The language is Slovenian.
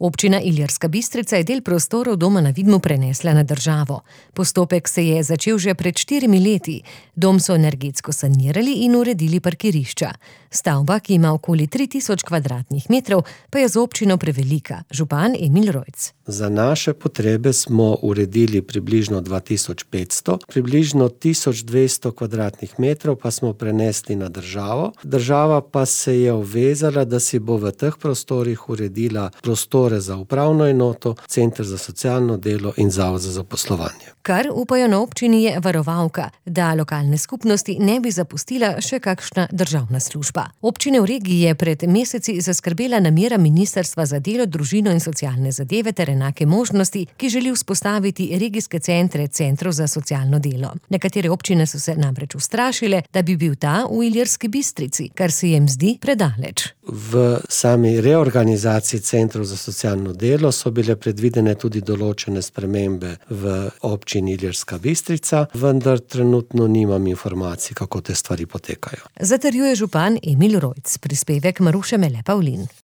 Občina Ilirska Bistrica je del prostorov Doma na Vidmu prenesla na državo. Postopek se je začel že pred 4 leti. Dom so energetsko sanirali in uredili parkirišča. Stavba, ki ima okoli 3000 kvadratnih metrov, pa je za občino prevelika. Župan Emil Rojc. Za naše potrebe smo uredili približno 2500, približno 1200 kvadratnih metrov pa smo prenesli na državo. Država pa se je obvezala, da si bo v teh prostorih uredila prostore za upravno enoto, center za socialno delo in zavod za zaposlovanje. Kar upajo na občini je varovalka, da lokalne skupnosti ne bi zapustila še kakšna državna služba. Občine v regiji je pred meseci zaskrbela namera Ministrstva za delo, družino in socialne zadeve ter enake možnosti, ki želi vzpostaviti regijske centrov za socialno delo. Nekatere občine so se namreč ustrašile, da bi bil ta v Ilirski Bistrici, kar se jim zdi predaleč. V sami reorganizaciji centrov za socialno delo so bile predvidene tudi določene spremembe v občini Ilirska Bistrica, vendar trenutno nimam informacij, kako te stvari potekajo. Zatrjuje župan Emil Rojc, prispevek Maruše Mele Pavlin.